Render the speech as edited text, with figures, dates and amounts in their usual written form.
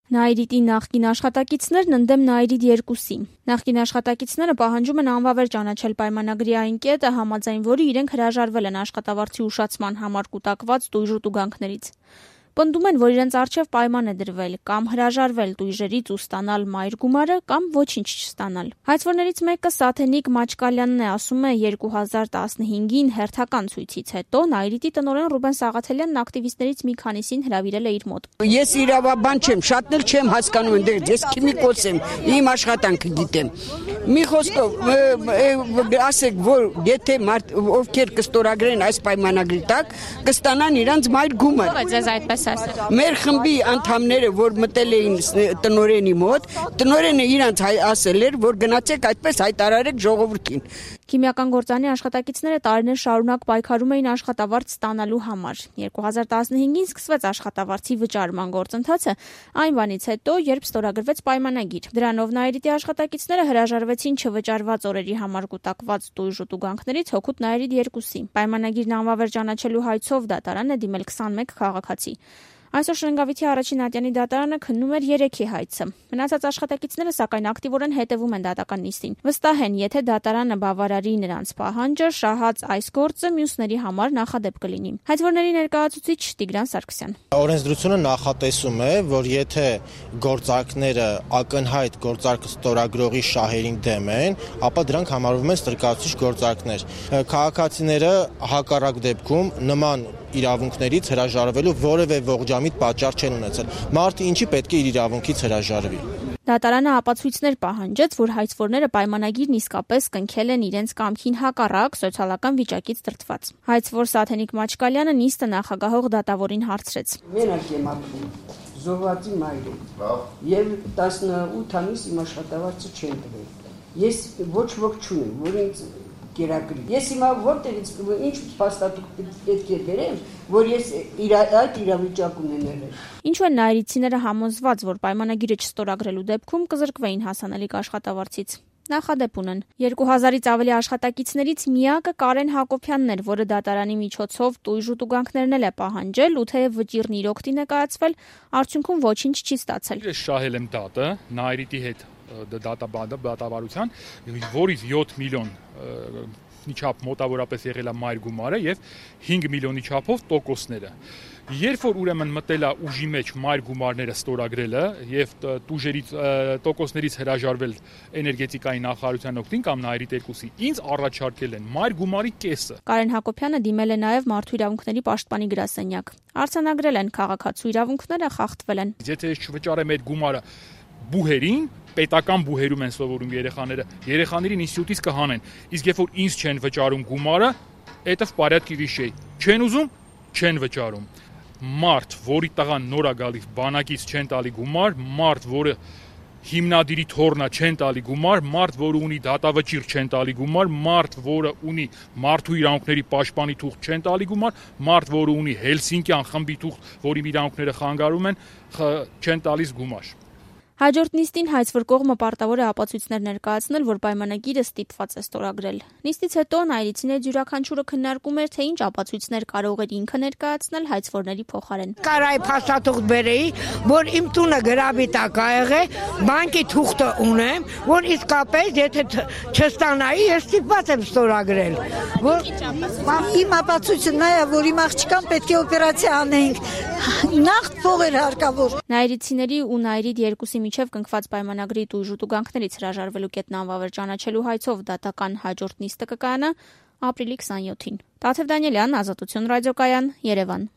Նայիրիտի նախկին աշխատակիցներն ընդդեմ Նայիրիտ 2-ի։ Նախկին աշխատակիցները պահանջում են անվավեր ճանաչել պայմանագրի այն կետը, համաձայն որի իրենք հրաժարվել են աշխատավարձի ուշացման համար կուտակված տույժ ու տուգանքներից։ Պնդում են, որ իրենց առջև պայման է դրվել կամ հրաժարվել տույժերից ու ստանալ մայր գումարը կամ ոչինչ չստանալ։ Հայցվորներից մեկը Սաթենիկ Մաչկալյանն է, ասում է 2015-ին հերթական ցույցից հետո Նայիրիտի տնօրեն Ռուբեն Սաղաթելյանն ակտիվիստներից մի քանիսին հրավիրել է իր մոտ։ Ես իրավաբան չեմ, շատն էլ չեմ հասկանում այնտեղ, ես քիմիկոս եմ, իմ աշխատանքը գիտեմ։ Մի խոսքով ասեք, որ եթե ովքեր կստորագրեն այս պայմանագրի տակ, կստանան իրանց մայր գումար։ Բայց ես այդպես Մեր խմբի անդամները, որ մտել էին տնօրենի մոտ, տնօրենը իրանց ասել էր, որ գնացեք այդպես հայտարարեք ժողովրդին։ Քիմիական գործարանի աշխատակիցները տարիներ շարունակ պայքարում էին աշխատավարձ ստանալու համար։ 2015-ին սկսվեց աշխատավարձի վճարման գործընթացը, այն բանից հետո, երբ ստորագրվեց պայմանագիր։ Դրանով Նայիրիտի աշխատակիցները հրաժարվեցին չվճարված օրերի համար կուտակված տույժ ու տուգանքներից հօգուտ Նայիրիտ 2-ի։ Պայմանագիրն անվավեր ճանաչելու հայցով դատարան է դիմել 21 քաղաքացի։ Այսօր Շենգավիթի առաջին ատյանի դատարանը քննում էր 3-ի հայցը։ Մնացած աշխատակիցները սակայն ակտիվորեն հետևում են դատական նիստին։ Վստահ են, եթե դատարանը բավարարի նրանց պահանջը, շահած այս գործը մյուսների համար նախադեպ կլինի։ Հայցվորների ներկայացուցիչ Տիգրան Սարգսյան։ Օրենսդրությունը նախատեսում է, որ եթե գործարքները ակնհայտ գործարքը ստորագրողի շահերին դեմ են, ապա դրանք համարվում են ստրկացուցիչ գործարքներ։ Քաղաքացիները հակառակ դեպքում նման իրավունքներից հրաժարվելու որևէ ողջամիտ պատճառ չեն ունեցել։ Մարդը ինչի պետք է իր իրավունքից հրաժարվի։ Դատարանը ապացույցներ պահանջեց, որ հայցվորները պայմանագիրն իսկապես կնքել են իրենց կամքին հակառակ սոցիալական վիճակից դրդված։ Հայցվոր Սաթենիկ Մաչկալյանը նիստը նախագահող դատավորին հարցրեց։ Մենակ եմ ապրում, զոհվածի մայր եմ, եւ 18 ամիս իմ աշխատավարձը չեն տվել։ Ես ոչ ոք չունեմ, որ ինձ կերակրի։ Ես հիմա որտեղից ինչ փաստաթուղթ պետք է բերեմ, որ ես այդ իրավիճակ ունենել եմ։ Ինչու են նայիրիցիները համոզված, որ պայմանագիրը չստորագրելու դեպքում կզրկվեին հասանելիք աշխատավարձից։ Նախադեպ ունեն։ 2000-ից ավելի աշխատակիցներից միակը Կարեն Հակոբյանն էր, որը դատարանի միջոցով տույժ ու տուգանքներն էլ է պահանջել ու թեև վճիրն իր օգտին ներկայացվել, արդյունքում ոչինչ չի ստացել։ Ես շահել եմ դատը Նայիրիտի հետ դատավարության, որից 7 միլիոն չափ մոտավորապես եղել է մայր գումարը եւ 5 միլիոնի չափով տոկոսները։ Երբ որ ուրեմն մտել է ուժի մեջ մայր գումարները ստորագրելը եւ տուժերից տոկոսներից հրաժարվել էներգետիկայի նախարարության օգտին կամ Նայիրիտ 2-ի, ինձ առաջարկել են մայր գումարի կեսը։ Կարեն Հակոբյանը դիմել է նաեւ Մարդու իրավունքների պաշտպանի գրասենյակ։ Արձանագրել են քաղաքացու իրավունքները, խախտվել են։ Եթե ես չվճարեմ այդ գումարը բուհերին, պետական բուհերում են սովորում երեխաները, երեխաներին ինստիտուտից կհանեն, իսկ երբ որ ինձ չեն վճարում գումարը, դա վարյատկի վիշեյ, չեն ուզում, չեն վճարում։ Մարդ, որի տղան նոր է գալիս, բանակից չեն տալի գումար, մարդ, որը հիմնադիրի թորնա չեն տալի գումար, մարդ, որը ունի դատավճիռ չեն տալի գումար, մարդ, որը ունի մարդու իրավունքների պաշտպանի թուղթ չեն տալի գումար, մարդ, որը ունի Հելսինկյան խմբի թուղթ, որի իրավունքները խանգարում են, չեն տալիս գումար։ Հաջորդ նիստին հայցվոր կողմը պարտավոր է ապացույցներ ներկայացնել, որ պայմանագիրը ստիպված է ստորագրել։ Նիստից հետո նայիրիցիների յուրաքանչյուրը քննարկում էր, թե ինչ ապացույցներ կարող էր ինքը ներկայացնել հայցվորների փոխարեն։ Կարայի փաստաթուղթ բերեի, որ իմ տունը գրավի տակ ա եղել, բանկի թուղթը ունեմ, որ իսկապես եթե չստանայի, ես ստիպված եմ ստորագրել։ Իմ ապացույցը նա է, որ իմ աղջկան պետք է օպերացիա անեինք։ Նախ փողեր հարկավոր։ Նայիրիցիների ու Նայիրիտ 2-ի միջև կնքված պայմանագրի տույժ ու տուգանքներից հրաժարվելու կետն անվավեր ճանաչելու հայցով դատական հաջորդ նիստը կկայանա ապրիլի 27-ին։ Տաթև Դանիելյան, Ազատություն ռադիոկայան, Երևան։